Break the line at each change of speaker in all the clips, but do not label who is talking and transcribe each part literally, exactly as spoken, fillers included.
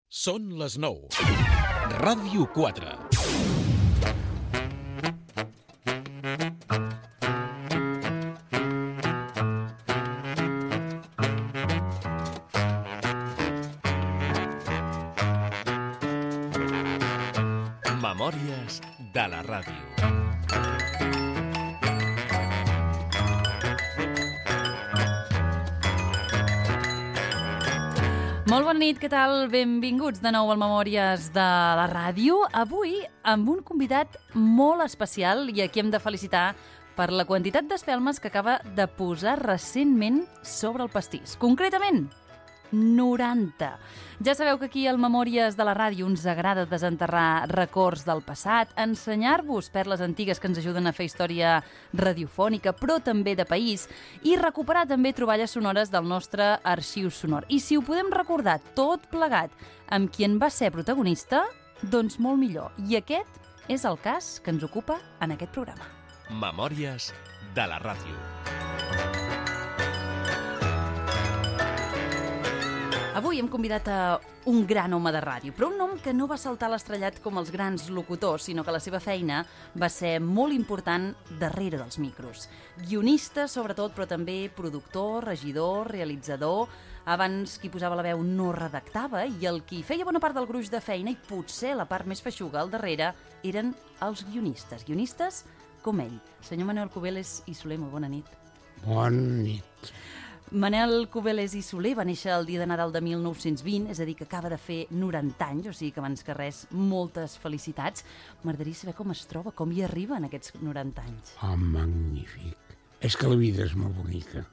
Són les nou. Ràdio quatre. Memòries de la ràdio.
Molt bona nit, què tal? Benvinguts de nou al Memòries de la ràdio. Avui amb un convidat molt especial i a qui hem de felicitar per la quantitat d'espelmes que acaba de posar recentment sobre el pastís. Concretament, noranta. Ja sabeu que aquí al Memòries de la ràdio ens agrada desenterrar records del passat, ensenyar-vos perles antigues que ens ajuden a fer història radiofònica, però també de país, i recuperar també troballes sonores del nostre arxiu sonor. I si ho podem recordar tot plegat amb qui en va ser protagonista, doncs molt millor. I aquest és el cas que ens ocupa en aquest programa.
Memòries de la ràdio.
Avui hem convidat a un gran home de ràdio, però un nom que no va saltar l'estrellat com els grans locutors, sinó que la seva feina va ser molt important darrere dels micros. Guionista, sobretot, però també productor, regidor, realitzador. Abans qui posava la veu no redactava i el qui feia bona part del gruix de feina i potser la part més feixuga al darrere eren els guionistes. Guionistes com ell. Senyor Manuel Cubeles i Soler, molt bona nit.
Bona nit.
Manel Cubeles i Soler va néixer el dia de Nadal de mil nou-cents vint, és a dir, que acaba de fer noranta anys, o sigui que abans que res, moltes felicitats. M'agradaria saber com es troba, com hi arriba en aquests noranta anys.
Oh, magnífic. És que la vida és molt bonica.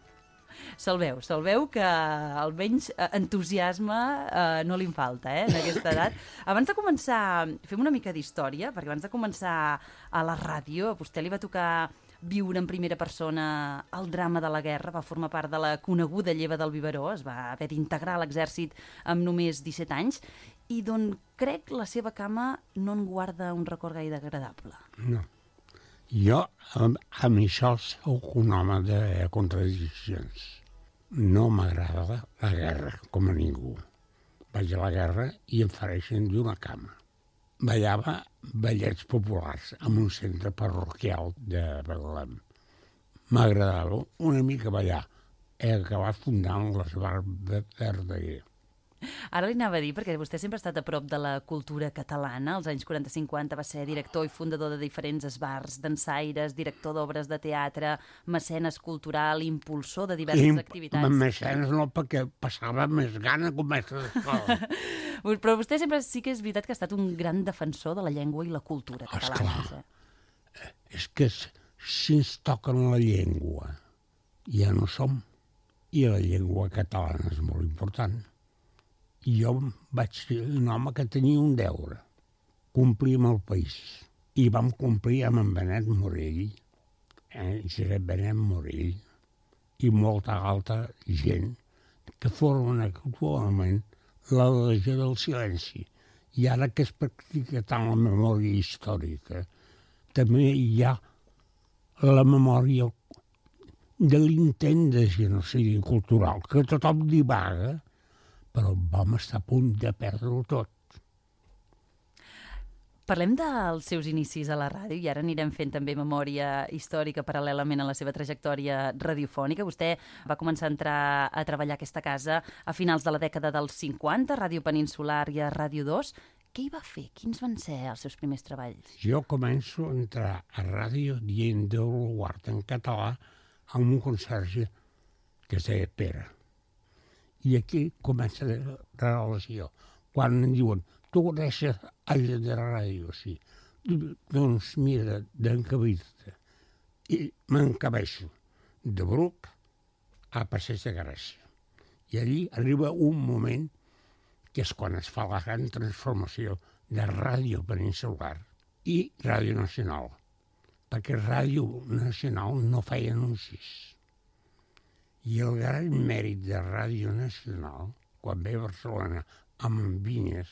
Se'l veu, se'l veu que almenys entusiasme eh, no li en falta, eh, en aquesta edat. Abans de començar, fem una mica d'història, perquè abans de començar a la ràdio, a vostè li va tocar viure en primera persona el drama de la guerra, va formar part de la coneguda lleva del biberó, es va haver d'integrar a l'exèrcit amb només disset anys, i d'on crec la seva cama no en guarda un record gaire agradable.
No. Jo, amb, amb això, soc un home de contradiccions. No m'agrada la guerra, com a ningú. Vaig a la guerra i em fareixen d'una cama. Ballava ballets populars en un centre parroquial de Betlem. M'agradava una mica ballar. He acabat fundant l'Esbar de Verdaguer.
Ara li anava a dir, perquè vostè sempre ha estat a prop de la cultura catalana. Als anys quaranta cinquanta va ser director i fundador de diferents esbars, dansaires, director d'obres de teatre, mecenes cultural, impulsor de diverses
I,
activitats.
Mecenes no, perquè passava més gana com mestre d'escola.
Però vostè sempre sí que és veritat que ha estat un gran defensor de la llengua i la cultura catalana.
Esclar. És que si ens toquen la llengua, ja no som. I la llengua catalana és molt important. I jo vaig ser un home que tenia un deure, complir amb el país. I vam complir amb en Benet Morell, eh, Josep Benet Morell, i molta altra gent que formen actualment la Legió del Silenci. I ara que es practica tant la memòria històrica, també hi ha la memòria de l'intent de genocidi cultural, que tothom divaga, però vam estar a punt de perdre-ho tot.
Parlem dels seus inicis a la ràdio i ara anirem fent també memòria històrica paral·lelament a la seva trajectòria radiofònica. Vostè va començar a entrar a treballar a aquesta casa a finals de la dècada dels cinquanta, a Ràdio Peninsular i a Ràdio dos. Què hi va fer? Quins van ser els seus primers treballs?
Jo començo a entrar a ràdio dient Déu lo guard en català amb un conserge que es deia Pere. I aquí comença la relació. Quan em diuen, tu coneixes allà de ràdio, sí. Doncs mira, d'encabir-te. I m'encabeixo de Bruc a Passeig de Gràcia. I allí arriba un moment que és quan es fa la gran transformació de Ràdio Peninsular i Ràdio Nacional. Perquè Ràdio Nacional no feia anuncis. I el gran mèrit de Ràdio Nacional, quan ve a Barcelona amb en Vinyes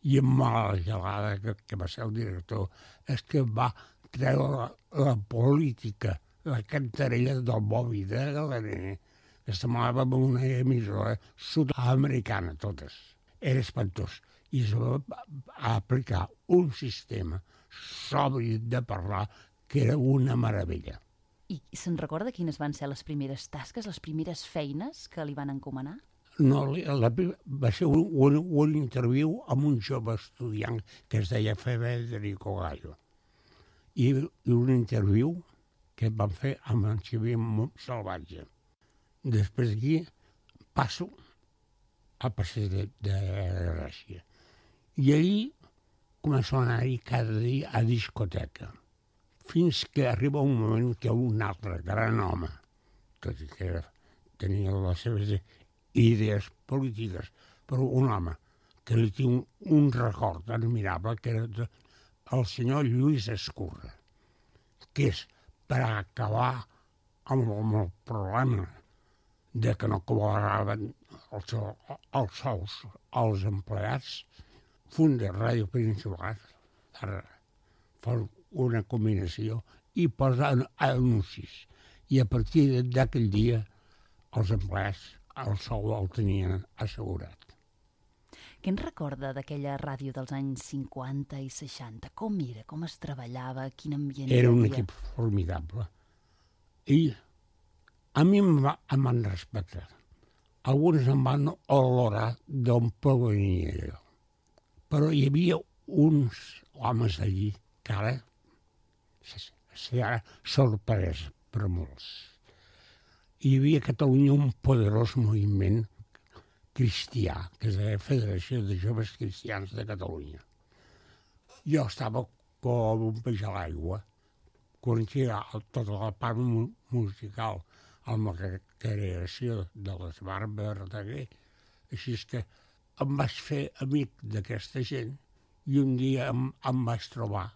i amb Mala Gelada, que, que va ser el director, és que va treure la, la política, la cantarella del Bobby de Galaner, que semblava una emissora sud-americana, totes. era espantós. I es va aplicar un sistema sobri de parlar que era una meravella.
I se'n recorda quines van ser les primeres tasques, les primeres feines que li van encomanar?
No, la, va ser un, un, un interviu amb un jove estudiant que es deia Federico Gallo. I, i un interviu que van fer amb en Xavier Salvatge. Després d'aquí passo al passeig de, de Gràcia. I ahir començo a anar-hi cada dia a discoteca, fins que arriba un moment que un altre gran home, tot i que tenia les seves idees polítiques, però un home que li tinc un, un record admirable, que era el senyor Lluís Escurra, que és per acabar amb, amb el problema de que no cobraven els, els sous als empleats, funda Ràdio Peninsular per fer una combinació i posa anuncis. I a partir d'aquell dia els empleats el sou el tenien assegurat.
Què en recorda d'aquella ràdio dels anys cinquanta i seixanta? Com era? Com es treballava? Quin ambient hi havia?
Era un equip formidable. I a mi em van respectar. Alguns em van olorar d'on provenia jo. Però hi havia uns homes allí que ara serà sorpresa per molts. Hi havia a Catalunya un poderós moviment cristià, que és la Federació de Joves Cristians de Catalunya. Jo estava com un peix a l'aigua, coneixia tota la part musical amb la creació de les Barbes Verdaguer, així és que em vaig fer amic d'aquesta gent i un dia em, em vaig trobar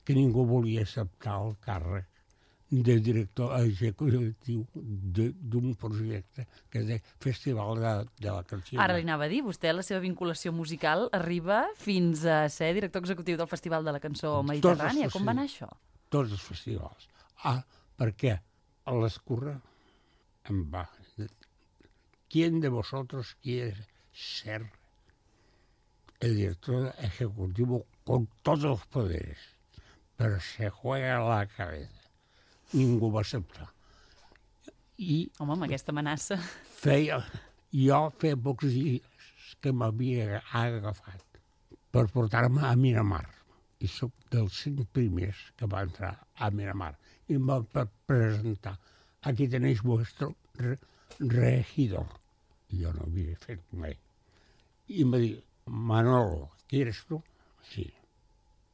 que ningú volia acceptar el càrrec de director executiu d'un projecte que és el Festival de, de la Canció.
Ara li anava a dir, vostè, la seva vinculació musical arriba fins a ser director executiu del Festival de la Cançó Mediterrània. Com va anar això?
Tots els festivals. Ah, perquè a l'Escurra em va... ¿Quién de vosotros quiere ser el director ejecutivo con todos los poderes? Pero se juega la cabeza. Ningú va acceptar. I
Home, amb aquesta amenaça.
Feia, jo feia pocs dies que m'havia agafat per portar-me a Miramar. I soc dels cinc primers que va entrar a Miramar. I em va presentar. Aquí tenéis vuestro re regidor. I jo no havia fet mai. I em va dir, Manolo, ¿quieres tú? Sí.